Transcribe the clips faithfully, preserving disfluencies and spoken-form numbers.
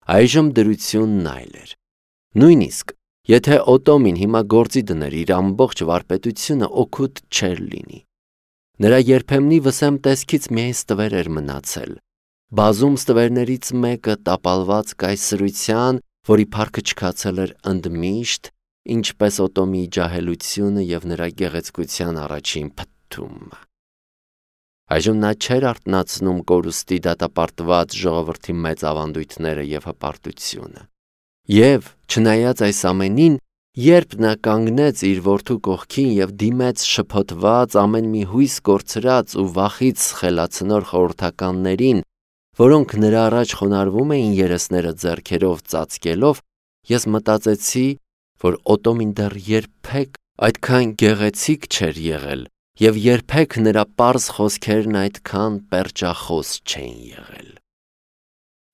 Այժմ դրությունն այլ էր։ Նույնիսկ եթե Օտոմին հիմա գործի դներ իր ամբողջ վարպետությունը, օգուտ չէր լինի։ Նրա երբեմնի վսեմ տեսքից միայն ստվեր էր մնացել։ Բազում ստվերներից մեկը տապալված կայսրության, որի փառքը չքացել էր ընդմիշտ, ինչպես Օտոմի ջահելությունը և նրա գեղեցկության առաջին փթթումը։ Այժմ նա չէր արթնացնում կորուստի դատապարտված ժողովրդի մեծ ավանդույթները և հպարտությունը։ Եվ, չնայած այս ամենին, երբ նա կանգնեց իր որդու կողքին և դիմեց շփոթված, ամեն մի հույս կորցրած ու վախից խելացնոր խորհրդականներին, որոնք նրա առաջ խոնարհվում էին երեսները ձեռքերով ծածկելով, ես մտածեցի, որ Օտոմին դեռ երբեք այդքան գեղեցիկ չէր եղել և երբեք նրա պարզ խոսքերն այդքան պերճախոս չէին եղել։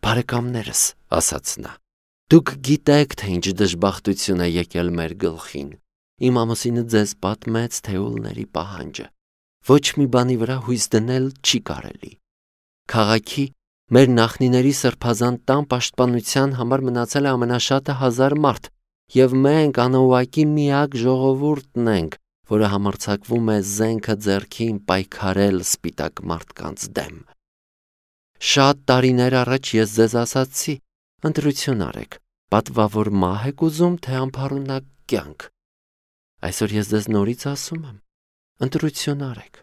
«Բարեկամներս», ասաց նա, «դուք գիտեք, թե ինչ դժբախտություն է եկել մեր գլխին։ Իմ ամուսինը ձեզ պատմեց թեուլների պահանջը։ Ոչ մի բանի վրա հույս դնել չի կարելի։ Քաղաքի մեր նախնիների սրբազան տան պաշտպանության համար մնացել է ամենաշատը հազար մարդ, և մենք անուղղակի միակ ժողովուրդն ենք, որը համարձակվում է զենքը ձեռքին պայքարել սպիտակ մարդկանց դեմ։ Շատ տարիներ առաջ ես ձեզ ասացի. ընտրություն արեք, պատվավոր մահ եք ուզում, թե անփառունակ կյանք։ Այսօր ես ձեզ նորից ասում եմ. ընտրություն արեք։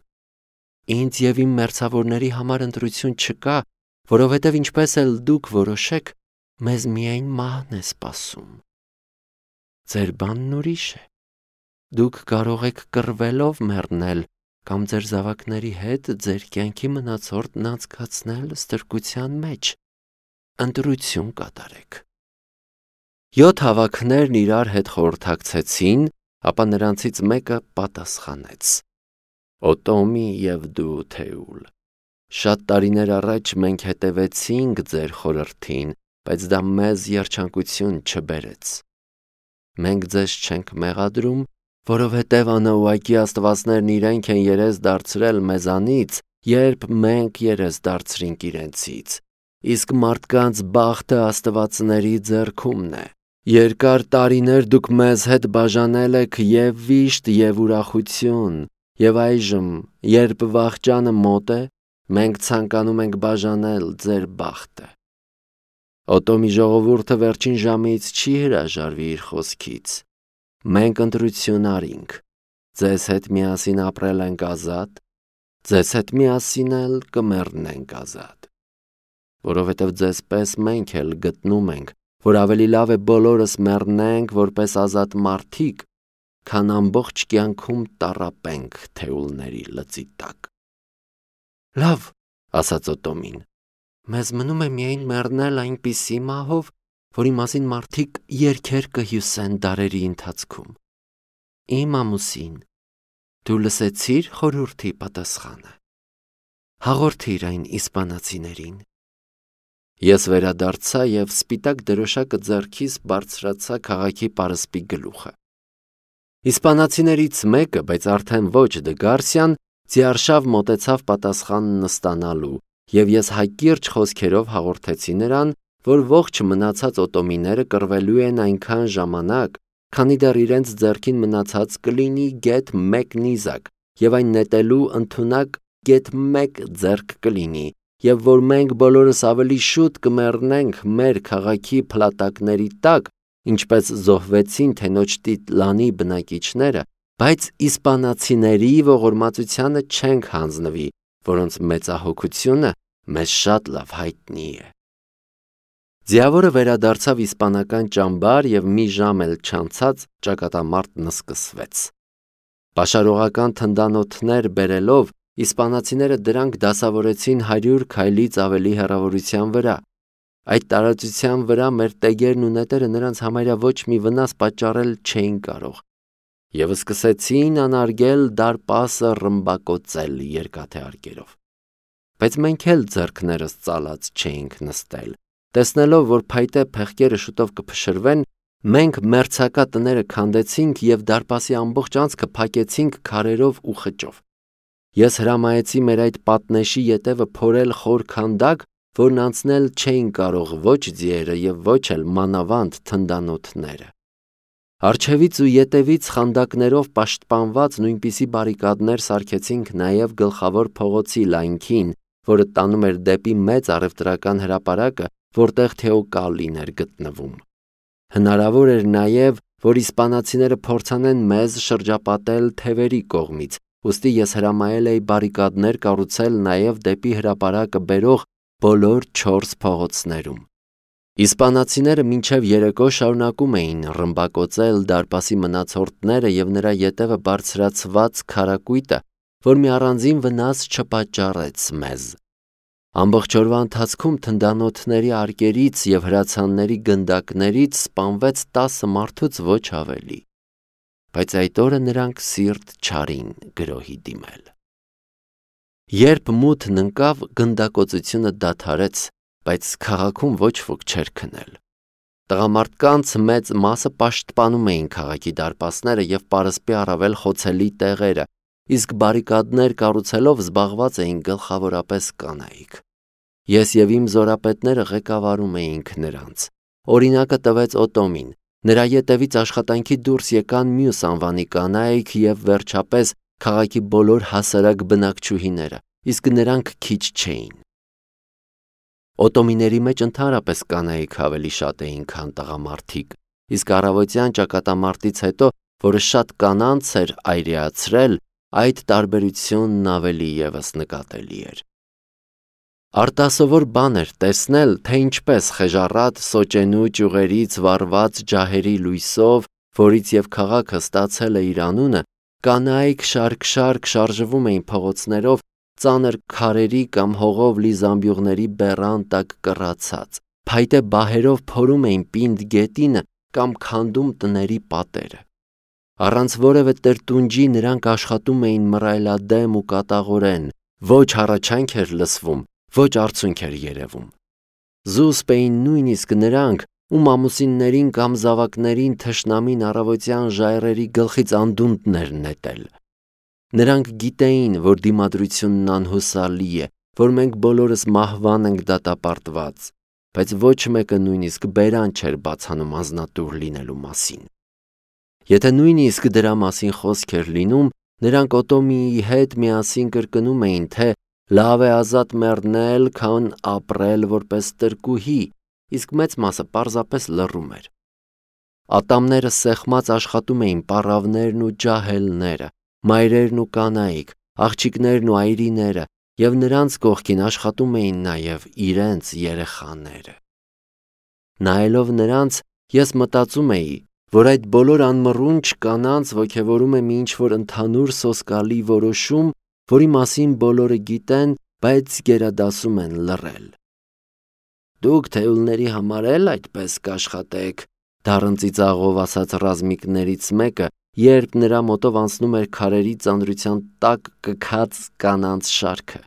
Ինձ և իմ մերձավորների համար ընտրություն չկա, որովհետև ինչպես էլ դուք որոշեք, մեզ միայն մահն է սպասում։ Ձեր բանն ուրիշ է։ Դուք կարող եք կռվելով մեռնել կամ ձեր զավակների հետ ձեր կյանքի մնացորդն անցկացնել ստրկության մեջ։ Ընտրություն կատարեք։ Յոթ հավաքներն իրար հետ խորհրդակցեցին, ապա նրանցից մեկը պատասխանեց. Օտոմի և դու թեուլ, շատ տարիներ առաջ մենք հետևեցինք ձեր խորհրդին, բայց դա մեզ երջանկություն չբերեց։ Մենք ձեզ չենք մեղադրում, որովհետև անուղղակի աստվածներն իրենք են երես դարձրել մեզանից, երբ մենք երես դարձրինք իրենցից, իսկ մարդկանց բախտը աստվածների ձեռքումն է։ Երկար տարիներ դուք մեզ հետ բաժանել եք և վիշտ, և ուրախություն, և այժմ, երբ վախճանը մոտ է, մենք ցանկանում ենք բաժանել ձեր բախտը։ Օտոմի ժողովուրդը վերջին ժամից չի հրաժարվի իր խոսքից։ Մենք ընտրություն արինք, ձեզ հետ միասին ապրել ենք ազատ, ձեզ հետ միասին էլ կմեռնենք ազատ։ Որովհետև ձեզ պես մենք էլ գտնում ենք, որ ավելի լավ է բոլորս մեռնենք որպես ազատ մարդիկ, քան ամբողջ կյանքում տառապենք թեուլների լծի տակ։ Լավ, ասաց Օտոմին, մեզ մնում է միայն մեռնել այնպիսի մահով, որի մասին մարդիկ երգեր կհյուսեն դարերի ընթացքում։ Իմ ամուսին, դու լսեցիր խորհրդի պատասխանը։ Հաղորդիր այն իսպանացիներին։ Ես վերադարձա և սպիտակ դրոշակը ձեռքիս բարձրացա քաղաքի պարսպի գլուխը։ Իսպանացիներից մեկը, բայց արդեն ոչ Դը Գարսիան, ձիարշավ մոտեցավ պատասխանն ստանալու, և ես հակիրճ խոսքերով հաղորդեցի նրան, որ ողջ մնացած օտոմիները կռվելու են այնքան ժամանակ, քանի դեռ իրենց ձեռքին մնացած կլինի գեթ մեկ նիզակ, և այն նետելու ընդունակ գեթ մեկ ձեռք կլինի, և որ մենք բոլորս ավելի շուտ կմեռնենք մեր քաղաքի փլատակների տակ, ինչպես զոհվեցին Թենոչտիտլանի բնակիչները, բայց իսպանացիների ողորմածությանը չենք հանձնվի, որոնց մեծահոգությունը մեզ շատ լավ հայտնի է։ Ձիավորը վերադարձավ իսպանական ճամբար և մի ժամ էլ չանցած ճակատամարտն սկսվեց։ Պաշարողական թնդանոթներ բերելով, իսպանացիները դրանք դասավորեցին հարյուր քայլից ավելի հեռավորության վրա։ Այդ տարածության վրա մեր տեգերն ու նետերը նրանց համարյա ոչ մի վնաս պատճառել չէին կարող, և սկսեցին անարգել դարպասը ռմբակոծել երկաթե արկերով։ Բայց մենք էլ ձեռքներս ծալած չէինք նստել։ Տեսնելով, որ փայտե փեղկերը շուտով կփշրվեն, մենք մերձակա տները քանդեցինք և դարպասի ամբողջ անցքը փակեցինք քարերով ու խճով։ Ես հրամայեցի մեր այդ պատնեշի ետևը փորել խոր քանդակ, որն անցնել չէին կարող ոչ ձիերը և ոչ էլ մանավանդ թնդանոթները։ Առջևից ու ետևից խանդակներով պաշտպանված նույնպիսի բարիկադներ սարքեցինք նաև գլխավոր փողոցի լայնքին, որը տանում էր դեպի մեծ առևտրական հրապարակը, որտեղ Թեոկալին էր գտնվում։ Հնարավոր էր նաև, որ իսպանացիները փորձանեն մեզ շրջապատել թևերի կողմից, ուստի ես հրամայել էի բարիկադներ կառուցել նաև դեպի հրապարակը բերող բոլոր չորս փողոցներում։ Իսպանացիները մինչև երեկո շարունակում էին ռմբակոծել դարպասի մնացորդները և նրա ետևը բարձրացված քարակույտը, որ մի առանձին վնաս չպատճառեց մեզ։ Ամբողջ օրվա ընթացքում թնդանոթների արկերից և հրացանների գնդակներից սպանվեց տասը մարդուց ոչ ավելի, բայց այդ օրը նրանք սիրտ չարին գրոհի դիմել։ Երբ մութն ընկավ, գնդակոծությունը դադարեց, բայց քաղաքում ոչ ոք չէր քնել։ Տղամարդկանց մեծ մասը պաշտպանում էին քաղաքի դարպասները և պարսպի առավել խոցելի տեղերը, իսկ բարիկադներ կառուցելով զբաղված էին գլխավորապես կանայք։ Ես և իմ զորապետները ղեկավարում էինք նրանց։ Օրինակը տվեց Օտոմին, նրա ետևից աշխատանքի դուրս եկան մյուս անվանի կանայք և վերջապես քաղաքի բոլոր հասարակ բնակչուհիները, իսկ նրանք քիչ չէին։ Օտոմիների մեջ ընդհանրապես կանայք ավելի շատ էին, քան տղամարդիկ, իսկ առավոտյան ճակատամարտից հետո, որը շատ կանանց էր այրեացրել, այդ տարբերությունն ավելի ևս նկատելի էր։ Արտասովոր բան էր տեսնել, թե ինչպես խեժառատ սոճենու ճյուղերից վառված ջահերի լույսով, որից և քաղաքը ստացել է իր անունը, կանայք շարք-շարք շարժվում էին փողոցներով, ծանր քարերի կամ հողով լի զամբյուղների բեռան տակ կռացած, փայտե բահերով փորում էին պինդ գետինը կամ քանդում տների պատերը։ Առանց որևէ տրտունջի նրանք աշխատում էին մռայլադեմ ու կատաղորեն, ոչ հառաչանք էր լսվում, ոչ արցունք էր երևում։ Զուսպ էին նույնիսկ նրանք, ում ամուսիններին կամ զավակներին թշնամին առավոտյան ժայռերի գլխից անդունդն էր նետել։ Նրանք գիտեին, որ դիմադրությունն անհուսալի է, որ մենք բոլորս մահվան ենք դատապարտված, բայց ոչ մեկը նույնիսկ բերան չէր բացանում անձնատուր լինելու մասին։ Եթե նույնիսկ դրա մասին խոսք էր լինում, նրանք Օտոմիի հետ միասին կրկնում էին, թե լավ է ազատ մեռնել, քան ապրել որպես տրկուհի, իսկ մեծ մասը պարզապես լռում էր։ Ատամները սեղմած աշխատում էին պառավներն ու ջահելները, մայրերն ու կանայք, աղջիկներն ու այրիները, և նրանց կողքին աշխատում էին նաև իրենց երեխաները։ Նայելով նրանց, ես մտածում էի, որ այդ բոլոր անմռունչ կանանց ոգևորում է մի ինչ-որ ընդհանուր սոսկալի որոշում, որի մասին բոլորը գիտեն, բայց գերադասում են լռել։ Դուք թեյուլների համար էլ այդպես կաշխատեք, դառն ծիծաղով ասաց ռազմիկներից մեկը, երբ նրա մոտով անցնում էր քարերի ծանրության տակ կքած կանանց շարքը։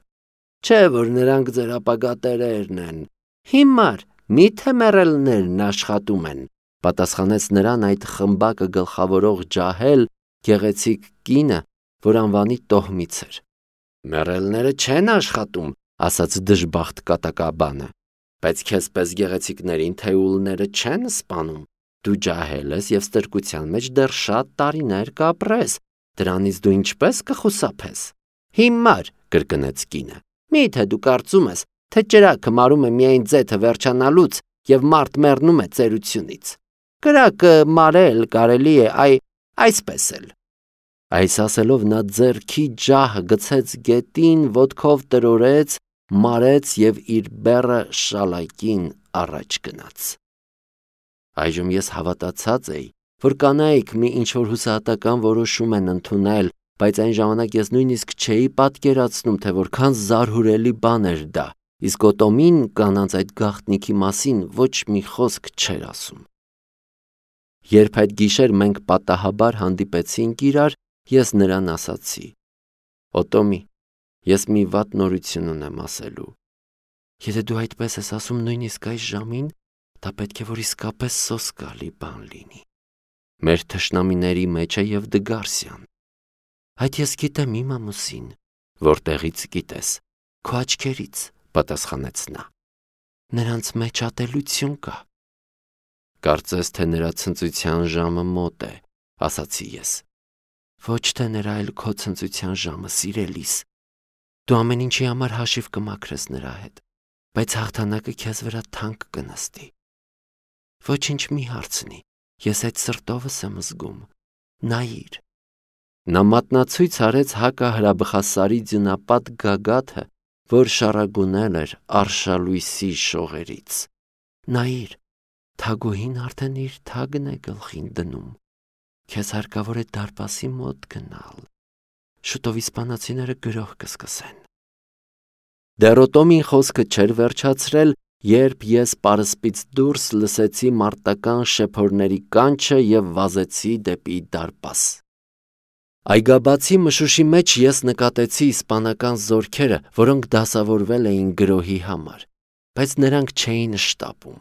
Չէ՞ որ նրանք ձեր ապագա տերերն են։ Հիմար, միթե մեռելներն աշխատում են, պատասխանեց նրան այդ խմբակը գլխավորող ջահել, գեղեցիկ կինը, որ անվանի Տոհմից էր։ Մեռելները չեն աշխատում, ասաց դժբախտ կատակաբանը, բայց քեզպես գեղեցիկներին թեյուլները չեն սպանում։ Դու ջահել ես և ստրկության մեջ դեռ շատ տարիներ կապրես, դրանից դու ինչպես կխուսափես։ Հիմար, կրկնեց կինը, միթե դու կարծում ես, թե ճրագը մարում է միայն ձեթը վերջանալուց և մարդ մեռնում է ծերությունից։ Կրակը մարել կարելի է այ այսպես էլ։ Այս ասելով նա ձեռքի ջահը գցեց գետին, ոտքով տրորեց, մարեց և իր բեռը շալակին առաջ գնաց։ Այժմ ես հավատացած էի, որ կանայք մի ինչ-որ հուսահատական որոշում են ընդունել, բայց այն ժամանակ ես նույնիսկ չէի պատկերացնում, թե որքան զարհուրելի բան էր դա, իսկ Օտոմին կանանց այդ գաղտնիքի մասին ոչ մի խոսք չէր ասում։ Երբ այդ գիշեր մենք պատահաբար հանդիպեցինք իրար, ես նրան ասացի. Օտոմի, ես մի վատ նորություն ունեմ ասելու։ Եթե դու այդպես ես ասում նույնիսկ այս ժամին, դա պետք է որ իսկապես սոսկալի բան լինի։ Մեր թշնամիների մեջ է և Դգարսյան։ Այդ ես գիտեմ իմ ամուսին։ Որտեղից գիտես։ Քո աչքերից, պատասխանեց նա։ Նրանց մեջ ատելություն կա։ Կարծես թե նրա ցնծության ժամը մոտ է, ասացի ես։ Ոչ թե նրա այլ քո ցնծության ժամը, սիրելիս։ Դու ամեն ինչի համար հաշիվ կմաքրես նրա հետ, բայց հաղթանակը քեզ վրա թանկ կնստի։ Ոչինչ մի հարցնի, ես այդ սրտովս եմ զգում։ Նայիր։ Նա մատնացույց արեց հակահրաբխասարի ձյունապատ գագաթը, որ շարագունել էր արշալույսի շողերից։ Նայիր, թագուհին արդեն իր թագն է գլխին դնում։ Քեզ հարկավոր է դարպասի մոտ գնալ։ Շուտով իսպանացիները գրոհ կսկսեն։ Դեռ Օտոմին խոսքը չէր վերջացրել, երբ ես պարսպից դուրս լսեցի մարտական շեփորների կանչը և վազեցի դեպի դարպաս։ Այգաբացի մշուշի մեջ ես նկատեցի իսպանական զորքերը, որոնք դասավորվել էին գրոհի համար, բայց նրանք չէին շտապում։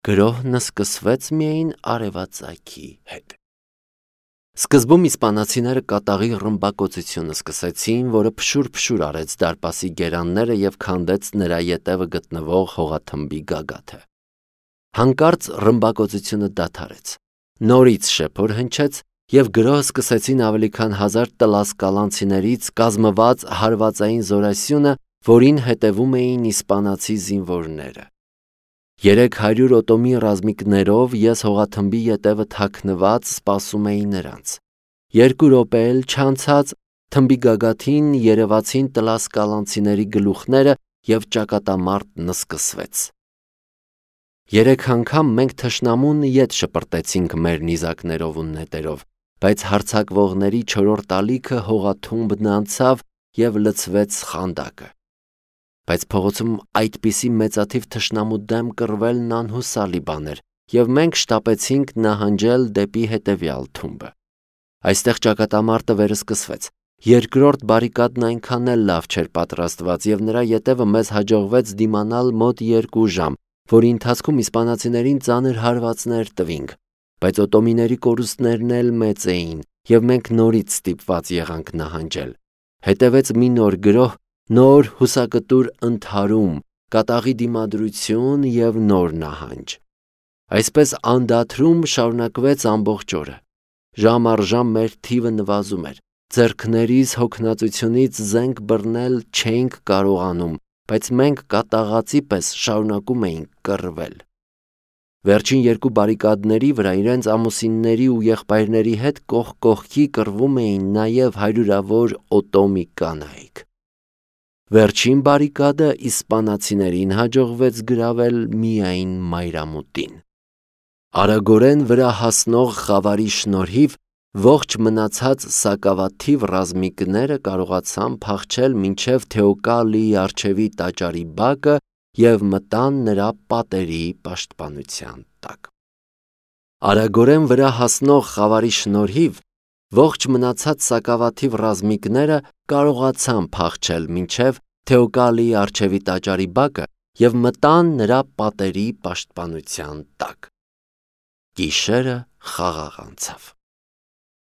Գրոհն սկսվեց միայն արևածագի հետ։ Սկզբում իսպանացիները կատաղի ռմբակոծությունը սկսեցին, որը փշուր-փշուր արեց դարպասի գերանները և քանդեց նրա ետևը գտնվող հողաթմբի գագաթը։ Հանկարծ ռմբակոծությունը դադարեց։ Նորից շեփոր հնչեց, և գրոհ սկսեցին ավելի քան հազար տլասկալանցիներից կազմված հարվածային զորասյունը, որին հետևում էին իսպանացի զինվորները։ Երեք հարյուր Օտոմի ռազմիկներով ես հողաթմբի ետևը թաքնված սպասում էի նրանց։ Երկու րոպե էլ չանցած թմբի գագաթին երևացին տլասկալանցիների գլուխները և ճակատամարտն սկսվեց։ Երեք անգամ մենք թշնամուն ետ շպրտեցինք մեր նիզակներով ու նետերով, բայց հարձակվողների չորրորդ ալիքը հողաթումբն անցավ և լցվեց խանդակը։ Բայց փողոցում այդպիսի մեծաթիվ թշնամու դեմ կռվելն անհուսալի բան էր, և մենք շտապեցինք նահանջել դեպի հետևյալ թումբը։ Այստեղ ճակատամարտը վերսկսվեց։ Երկրորդ բարիկադն այնքան էլ լավ չէր պատրաստված, և նրա ետևը մեզ հաջողվեց դիմանալ մոտ երկու ժամ, որի ընթացքում իսպանացիներին ծանր հարվածներ տվինք, բայց օտոմիների կորուստներն էլ մեծ էին, և մենք նորից ստիպված եղանք նահանջել։ Հետևեց մի նոր գրոհ, նոր հուսակտուր ընդհարում, կատաղի դիմադրություն և նոր նահանջ։ Այսպես անդադրում շարունակվեց ամբողջ օրը։ Ժամ առ ժամ մեր թիվը նվազում էր։ Ձեռքներիս հոգնածությունից զենք բռնել չէինք կարողանում, բայց մենք կատաղածի պես շարունակում էինք կռվել։ Վերջին երկու բարիկադների վրա իրենց ամուսինների ու եղբայրների հետ կողք կողքի կռվում էին նաև հարյուրավոր Օտոմի կանայք։ Վերջին բարիկադը իսպանացիներին հաջողվեց գրավել միայն մայրամուտին։ Արագորեն վրա հասնող խավարի շնորհիվ ողջ մնացած սակավաթիվ ռազմիկները կարողացան փախչել մինչև Թեոկալիի առջևի տաճարի բակը և մտան նրա պատերի պաշտպանության տակ։ Արագորեն վրա հասնող խավարի շնորհիվ ողջ մնացած սակավաթիվ ռազմիկները կարողացան փախչել մինչև Թեոկալիի առջևի տաճարի բակը և մտան նրա պատերի պաշտպանության տակ։ Գիշերը խաղաղ անցավ։